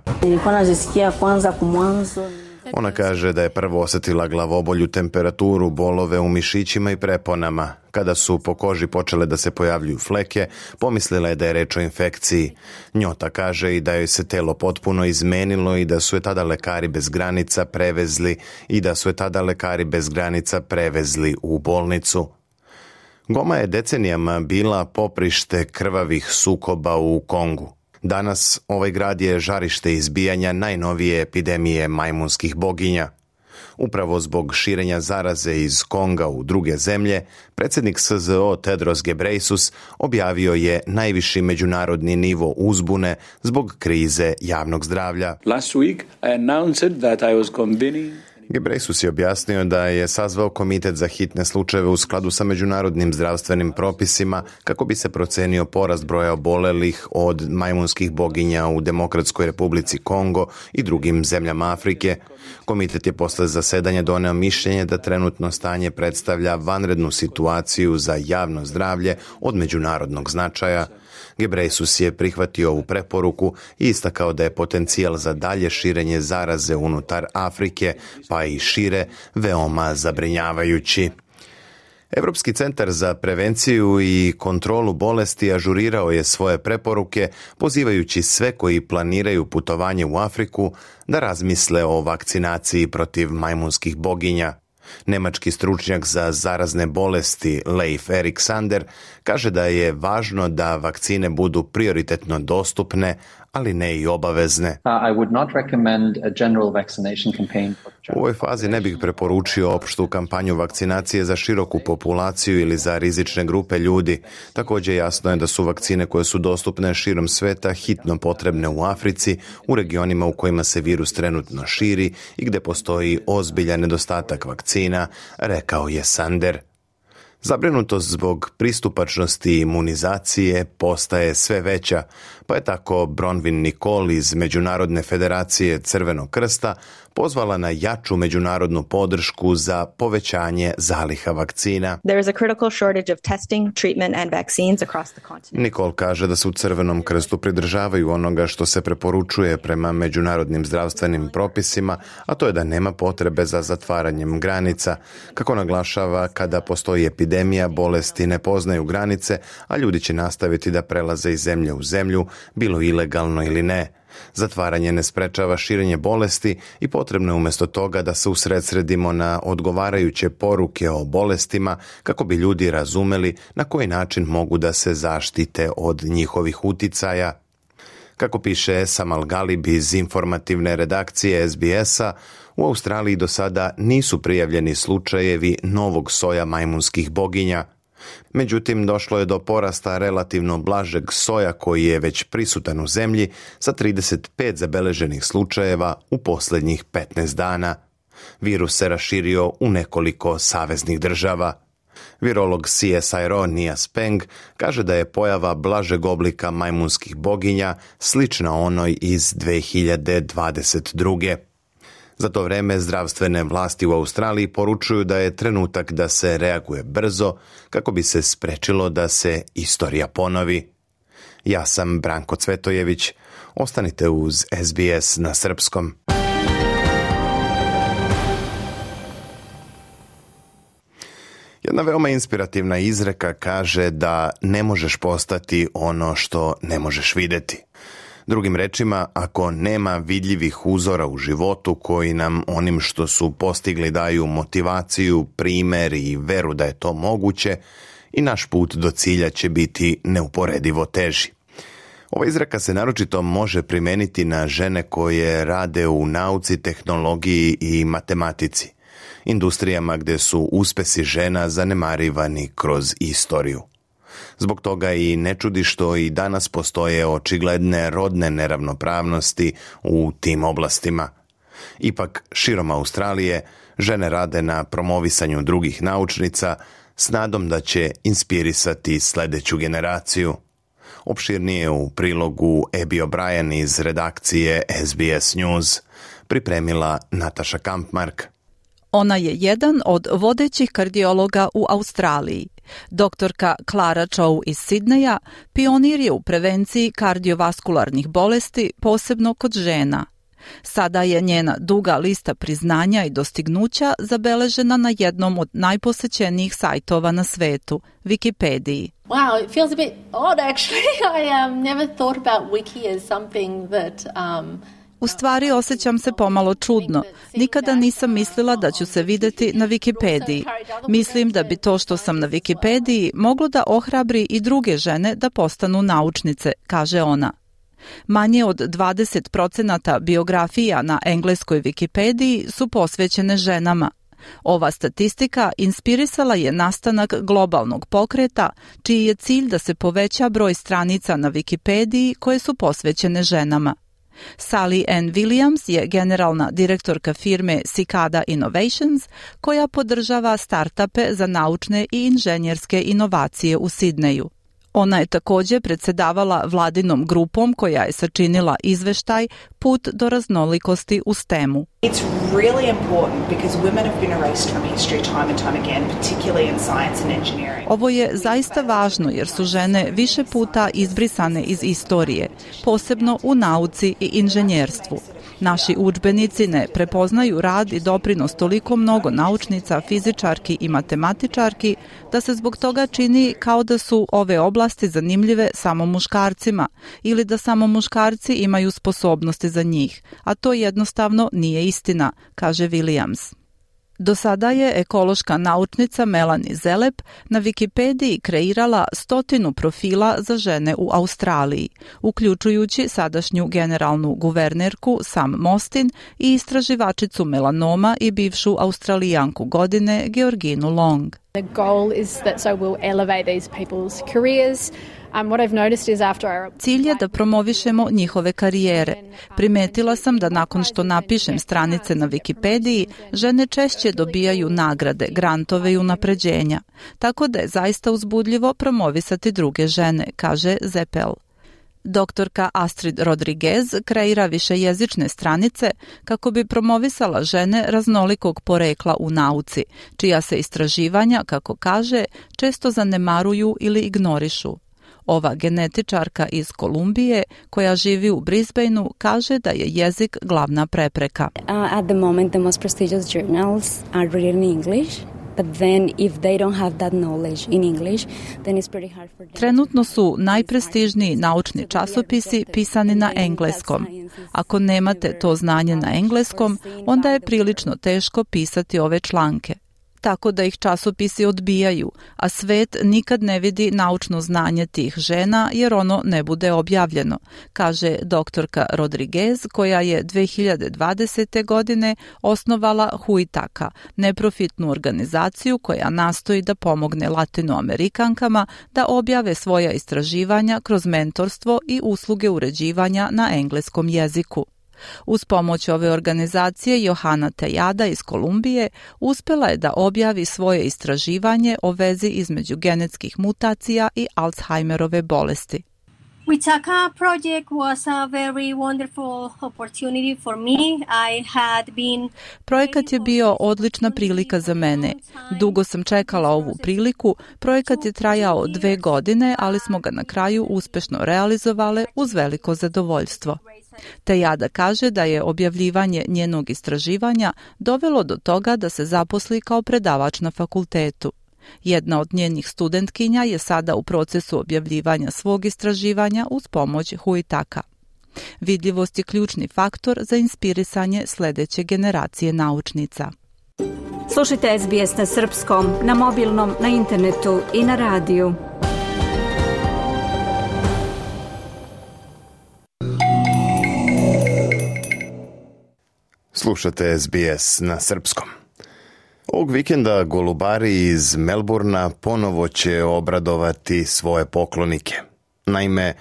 Ona kaže da je prvo osjetila glavobolju, temperaturu, bolove u mišićima i preponama. Kada su po koži počele da se pojavljuju fleke, pomislila je da je reč o infekciji. Njota kaže i da joj se telo potpuno izmenilo i da su je tada lekari bez granica prevezli i da su je tada lekari bez granica prevezli u bolnicu. Goma je decenijama bila poprište krvavih sukoba u Kongu. Danas ovaj grad je žarište izbijanja najnovije epidemije majmunskih boginja. Upravo zbog širenja zaraze iz Konga u druge zemlje, predsjednik S Z O Tedros Ghebreyesus objavio je najviši međunarodni nivo uzbune zbog krize javnog zdravlja.
Last week I announced that I was convening
Ghebreyesus je objasnio da je sazvao komitet za hitne slučajeve u skladu sa međunarodnim zdravstvenim propisima kako bi se procenio porast broja obolelih od majmunskih boginja u Demokratskoj Republici Kongo i drugim zemljama Afrike. Komitet je posle zasedanja doneo mišljenje da trenutno stanje predstavlja vanrednu situaciju za javno zdravlje od međunarodnog značaja. Ghebreyesus je prihvatio ovu preporuku i istakao da je potencijal za dalje širenje zaraze unutar Afrike, pa i šire, veoma zabrinjavajući. Europski centar za prevenciju i kontrolu bolesti ažurirao je svoje preporuke, pozivajući sve koji planiraju putovanje u Afriku da razmisle o vakcinaciji protiv majmunskih boginja. Nemački stručnjak za zarazne bolesti Leif Erik Sander kaže da je važno da vakcine budu prioritetno dostupne, ali ne i obavezne. U ovoj fazi ne bih preporučio opštu kampanju vakcinacije za široku populaciju ili za rizične grupe ljudi. Također jasno je da su vakcine koje su dostupne širom sveta hitno potrebne u Africi, u regionima u kojima se virus trenutno širi i gdje postoji ozbiljan nedostatak vakcina, rekao je Sander. Zabrinutost zbog pristupačnosti imunizacije postaje sve veća, pa je tako Bronwyn Nicole iz Međunarodne federacije Crvenog krsta pozvala na jaču međunarodnu podršku za povećanje zaliha vakcina. Nicole kaže da se u Crvenom krstu pridržavaju onoga što se preporučuje prema međunarodnim zdravstvenim propisima, a to je da nema potrebe za zatvaranjem granica. Kako naglašava, kada postoji epidemija, bolesti ne poznaju granice, a ljudi će nastaviti da prelaze iz zemlje u zemlju, bilo ilegalno ili ne. Zatvaranje ne sprečava širenje bolesti i potrebno je umjesto toga da se usredsredimo na odgovarajuće poruke o bolestima kako bi ljudi razumeli na koji način mogu da se zaštite od njihovih uticaja. Kako piše Esam Al-Galib iz informativne redakcije S B S-a, u Australiji do sada nisu prijavljeni slučajevi novog soja majmunskih boginja. Međutim, došlo je do porasta relativno blažeg soja koji je već prisutan u zemlji sa trideset pet zabeleženih slučajeva u posljednjih petnaest dana. Virus se raširio u nekoliko saveznih država. Virolog C S I R O Nia Speng kaže da je pojava blažeg oblika majmunskih boginja slična onoj iz dve hiljade dvadeset druge. Za to vreme zdravstvene vlasti u Australiji poručuju da je trenutak da se reaguje brzo kako bi se sprečilo da se istorija ponovi. Ja sam Branko Cvetojević. Ostanite uz S B S na srpskom. Jedna veoma inspirativna izreka kaže da ne možeš postati ono što ne možeš vidjeti. Drugim rečima, ako nema vidljivih uzora u životu koji nam onim što su postigli daju motivaciju, primer i veru da je to moguće, i naš put do cilja će biti neuporedivo teži. Ova izreka se naročito može primeniti na žene koje rade u nauci, tehnologiji i matematici, industrijama gdje su uspesi žena zanemarivani kroz istoriju. Zbog toga i ne čudi što i danas postoje očigledne rodne neravnopravnosti u tim oblastima. Ipak, širom Australije, žene rade na promovisanju drugih naučnica s nadom da će inspirisati sljedeću generaciju. Opširnije u prilogu Abby O'Brien iz redakcije S B S News pripremila Nataša Kampmark.
Ona je jedan od vodećih kardiologa u Australiji. Doktorka Clara Chow iz Sidneja pionir je u prevenciji kardiovaskularnih bolesti, posebno kod žena. Sada je njena duga lista priznanja i dostignuća zabeležena na jednom od najposećenijih sajtova na svetu, Wikipediji.
Wow, it feels a bit odd actually. I um, never thought about wiki as something that um
U stvari osjećam se pomalo čudno. Nikada nisam mislila da ću se vidjeti na Wikipediji. Mislim da bi to što sam na Wikipediji moglo da ohrabri i druge žene da postanu naučnice, kaže ona. Manje od dvadeset procenata biografija na engleskoj Wikipediji su posvećene ženama. Ova statistika inspirisala je nastanak globalnog pokreta, čiji je cilj da se poveća broj stranica na Wikipediji koje su posvećene ženama. Sally Ann Williams je generalna direktorka firme Cicada Innovations, koja podržava startupe za naučne i inženjerske inovacije u Sidneju. Ona je također predsjedavala vladinom grupom koja je sačinila izveštaj Put do raznolikosti u stemu.
It's really important because women have been erased from history time and time again, particularly in science and engineering.
Ovo je zaista važno jer su žene više puta izbrisane iz istorije, posebno u nauci i inženjerstvu. Naši udžbenici ne prepoznaju rad i doprinos toliko mnogo naučnica, fizičarki i matematičarki da se zbog toga čini kao da su ove oblasti zanimljive samo muškarcima ili da samo muškarci imaju sposobnosti za njih, a to jednostavno nije istina, kaže Williams. Do sada je ekološka naučnica Melanie Zelep na Wikipediji kreirala stotinu profila za žene u Australiji, uključujući sadašnju generalnu guvernerku Sam Mostyn i istraživačicu melanoma i bivšu Australijanku godine Georginu Long.
The goal is that so we'll elevate these people's careers. Um, what I've noticed is after our...
Cilj je da promovišemo njihove karijere. Primetila sam da nakon što napišem stranice na Wikipediji, žene češće dobijaju nagrade, grantove i unapređenja. Tako da je zaista uzbudljivo promovisati druge žene, kaže Zepel. Doktorka Astrid Rodriguez kreira višejezične stranice kako bi promovisala žene raznolikog porekla u nauci, čija se istraživanja, kako kaže, često zanemaruju ili ignorišu. Ova genetičarka iz Kolumbije, koja živi u Brisbaneu, kaže da je jezik glavna prepreka.
Uh, at the moment the most prestigious journals are written in English. But then if they don't have that knowledge in English, then it's pretty hard for them.
Trenutno su najprestižniji naučni časopisi pisani na engleskom. Ako nemate to znanje na engleskom, onda je prilično teško pisati ove članke. Tako da ih časopisi odbijaju, a svet nikad ne vidi naučno znanje tih žena jer ono ne bude objavljeno, kaže doktorka Rodriguez, koja je dve hiljade dvadesete. godine osnovala Huitaka, neprofitnu organizaciju koja nastoji da pomogne Latinoamerikankama da objave svoja istraživanja kroz mentorstvo i usluge uređivanja na engleskom jeziku. Uz pomoć ove organizacije Johana Tejada iz Kolumbije uspjela je da objavi svoje istraživanje o vezi između genetskih mutacija i Alzheimerove bolesti.
Witaka project was a very wonderful opportunity for me. I had been
Projekat je bio odlična prilika za mene. Dugo sam čekala ovu priliku. Projekat je trajao dve godine, ali smo ga na kraju uspešno realizovale uz veliko zadovoljstvo. Tejada kaže da je objavljivanje njenog istraživanja dovelo do toga da se zaposli kao predavač na fakultetu. Jedna od njenih studentkinja je sada u procesu objavljivanja svog istraživanja uz pomoć Huitaka. Vidljivost je ključni faktor za inspirisanje sljedeće generacije naučnica.
Slušajte S B S na srpskom, na mobilnom, na internetu i na radiju.
Slušate S B S na srpskom. Ovog vikenda golubari iz Melburna ponovo će obradovati svoje poklonike. Naime,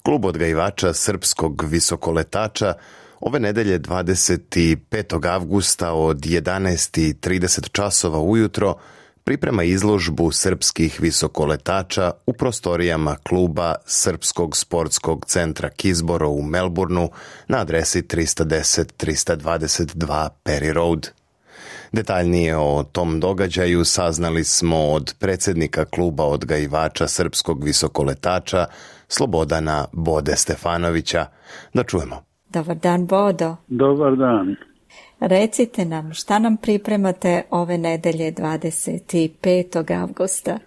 klub odgajivača srpskog visokoletača ove nedelje dvadeset petog avgusta od jedanaest i trideset časova ujutro priprema izložbu srpskih visokoletača u prostorijama kluba Srpskog sportskog centra Kisboro u Melburnu na adresi trista deset trista dvadeset dva Perry Road. Detaljnije o tom događaju saznali smo od predsjednika kluba odgajivača srpskog visokoletača Slobodana Bode Stefanovića. Da čujemo.
Dobar dan, Bodo.
Dobar dan.
Recite nam, šta nam pripremate ove nedelje dvadeset petog avgusta?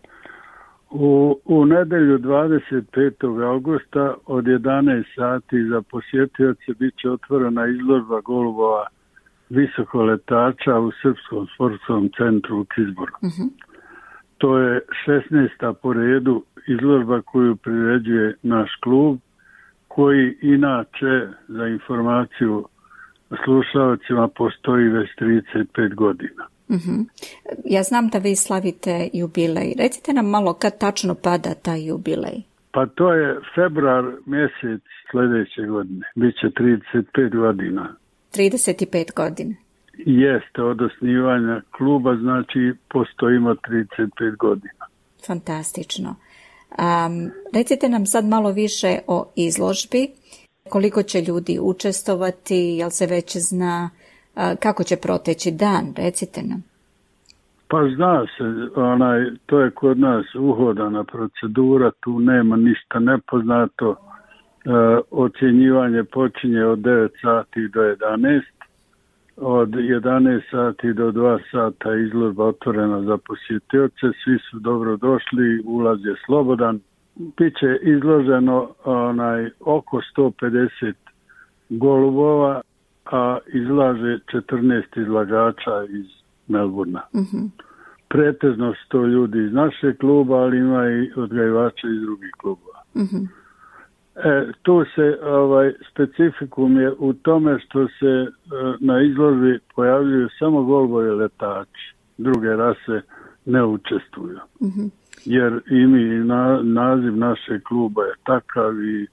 U, u nedelju dvadeset petog avgusta od jedanaest sati za posjetioce bit će otvorena izložba golubova visokoletača u Srpskom sportskom centru u Kisboru. Uh-huh. To je šesnaesta po redu izložba koju priređuje naš klub, koji inače, za informaciju slušalcima, postoji već trideset pet godina.
Uh-huh. Ja znam da vi slavite jubilej. Recite nam malo kad tačno pada taj jubilej.
Pa to je februar mjesec sljedeće godine. Biće trideset pet godina.
trideset pet godina.
Jeste, od osnivanja kluba, znači postojimo trideset pet godina.
Fantastično. Um, recite nam sad malo više o izložbi. Koliko će ljudi učestovati, jel se već zna, uh, kako će proteći dan, recite nam.
Pa zna se, onaj, to je kod nas uhodana procedura, tu nema ništa nepoznato. Uh, ocjenjivanje počinje od devet sati do jedanaest, od jedanaest sati do dva sata izložba otvorena za posjetioce, svi su dobro došli, ulaz je slobodan. Biće izloženo onaj, oko sto pedeset golubova, a izlaže četrnaest izlagača iz Melburna. Uh-huh. Pretežno su to ljudi iz našeg kluba, ali ima i odgajivača iz drugih klubova. Uh-huh. E, tu se ovaj, specifikum je u tome što se e, na izložbi pojavljuju samo golubovi letači. Druge rase ne učestvuju. Uh-huh. Jer i mi, na, naziv našeg kluba je takav i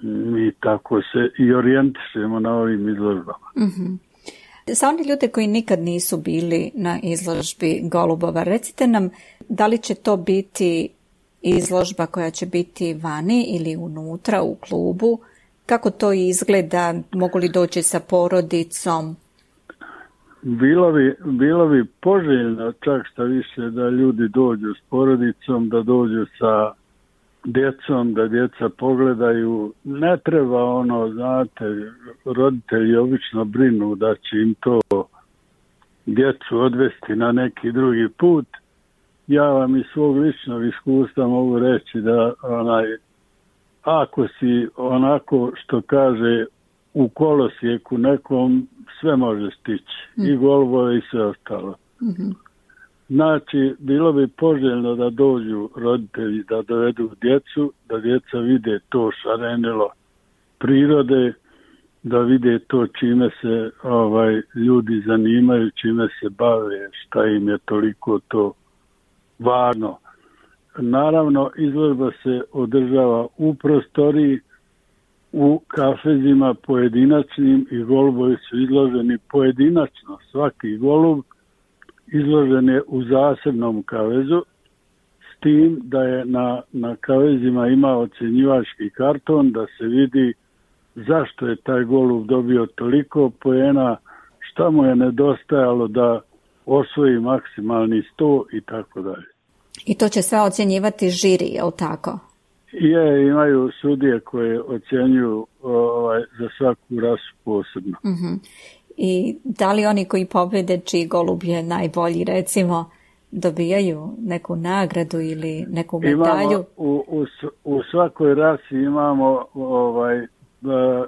mi tako se i orijentišemo na ovim izložbama.
Uh-huh. Za oni ljude koji nikad nisu bili na izložbi golubova, recite nam da li će to biti izložba koja će biti vani ili unutra u klubu, kako to izgleda, mogu li doći sa porodicom?
Bilo bi, bilo bi poželjno čak šta više da ljudi dođu s porodicom, da dođu sa djecom, da djeca pogledaju. Ne treba ono, znate, roditelji obično brinu da će im to djecu odvesti na neki drugi put. Ja vam iz svog ličnog iskustva mogu reći da onaj, ako si onako što kaže u kolosijeku nekom, sve može stići. Mm. I golubove i sve ostalo. Mm-hmm. Znači, bilo bi poželjno da dođu roditelji, da dovedu djecu, da djeca vide to šarenilo prirode, da vide to čime se ovaj ljudi zanimaju, čime se bave, šta im je toliko to važno. Naravno, izložba se održava u prostoriji u kafezima pojedinačnim i golubovi su izloženi pojedinačno. Svaki golub izložen je u zasebnom kavezu, s tim da je na, na kavezima imao ocjenjivački karton da se vidi zašto je taj golub dobio toliko poena, šta mu je nedostajalo da osvoji maksimalni sto i tako dalje.
I to će sve ocjenjivati žiri, je li tako?
Je, imaju sudije koje ocjenjuju ovaj, za svaku rasu posebno.
Uh-huh. I da li oni koji pobjede čiji golub je najbolji, recimo, dobijaju neku nagradu ili neku medalju?
Imamo, u, u, u svakoj rasi imamo ovaj, da,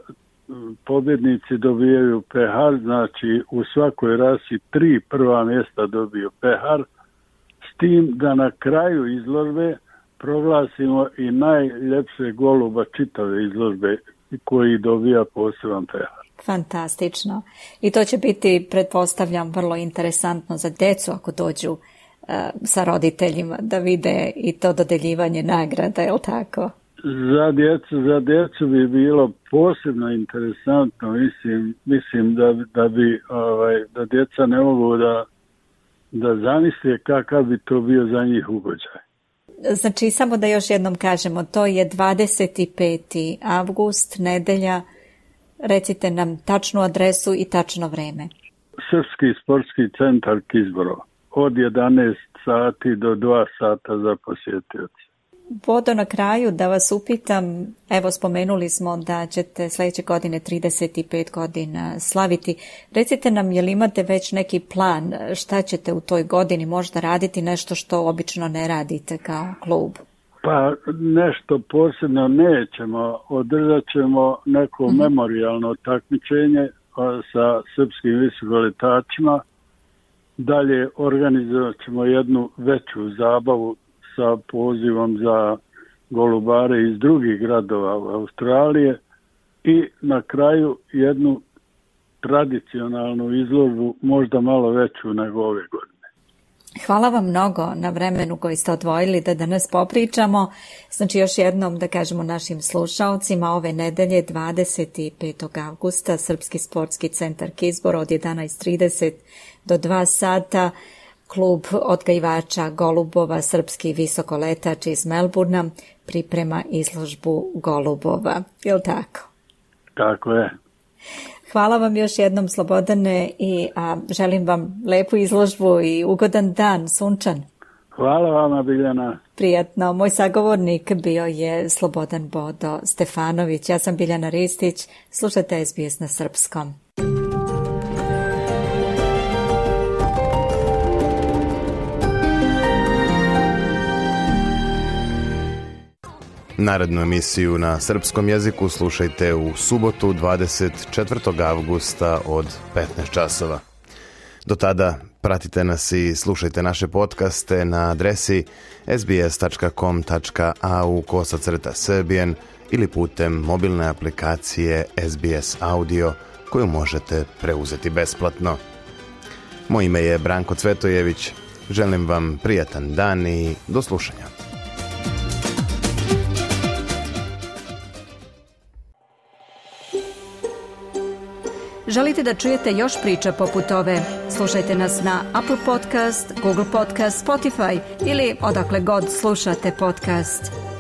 pobjednici dobijaju pehar, znači u svakoj rasi tri prva mjesta dobiju pehar, s tim da na kraju izložbe proglasimo i najljepše goluba čitave izložbe koji dobija poseban pehar.
Fantastično. I to će biti, pretpostavljam, vrlo interesantno za djecu ako dođu uh, sa roditeljima da vide i to dodeljivanje nagrada, je li tako?
Za djecu, za djecu bi bilo posebno interesantno, mislim, mislim da, da bi ovaj, da djeca ne mogu da, da zamisle kakav bi to bio za njih ugođaj.
Znači, samo da još jednom kažemo, to je dvadeset peti avgust, nedelja. Recite nam tačnu adresu i tačno vreme.
Srpski sportski centar Kizborovo. Od jedanaest sati do dva sata za posjetioce.
Vodo, na kraju da vas upitam, evo spomenuli smo da ćete sljedeće godine trideset pet godina slaviti. Recite nam, je li imate već neki plan šta ćete u toj godini možda raditi, nešto što obično ne radite kao klub?
Pa nešto posebno nećemo, održat ćemo neko uh-huh. memorijalno takmičenje sa srpskim visokoletačima, dalje organizovat ćemo jednu veću zabavu sa pozivom za golubare iz drugih gradova u Australije i na kraju jednu tradicionalnu izložbu, možda malo veću nego ove godine.
Hvala vam mnogo na vremenu koji ste odvojili da danas popričamo. Znači još jednom da kažemo našim slušalcima, ove nedelje dvadeset petog avgusta Srpski sportski centar Kizborovo od jedanaest trideset do dva sata. Klub odgajivača golubova Srpski visokoletač iz Melburna priprema izložbu golubova. Je li tako?
Tako je.
Hvala vam još jednom, Slobodane, i a, želim vam lepu izložbu i ugodan dan, sunčan.
Hvala vama, Biljana.
Prijatno. Moj sagovornik bio je Slobodan Bodo Stefanović. Ja sam Biljana Ristić. Slušajte S B S na srpskom.
Narednu emisiju na srpskom jeziku slušajte u subotu dvadeset četvrtog avgusta od petnaest časova. Do tada pratite nas i slušajte naše podcaste na adresi s b s tačka com tačka a u kosacrta srbijen ili putem mobilne aplikacije S B S Audio koju možete preuzeti besplatno. Moje ime je Branko Cvetojević. Želim vam prijatan dan i do slušanja.
Želite da čujete još priča poput ove? Slušajte nas na Apple Podcast, Google Podcast, Spotify ili odakle god slušate podcast.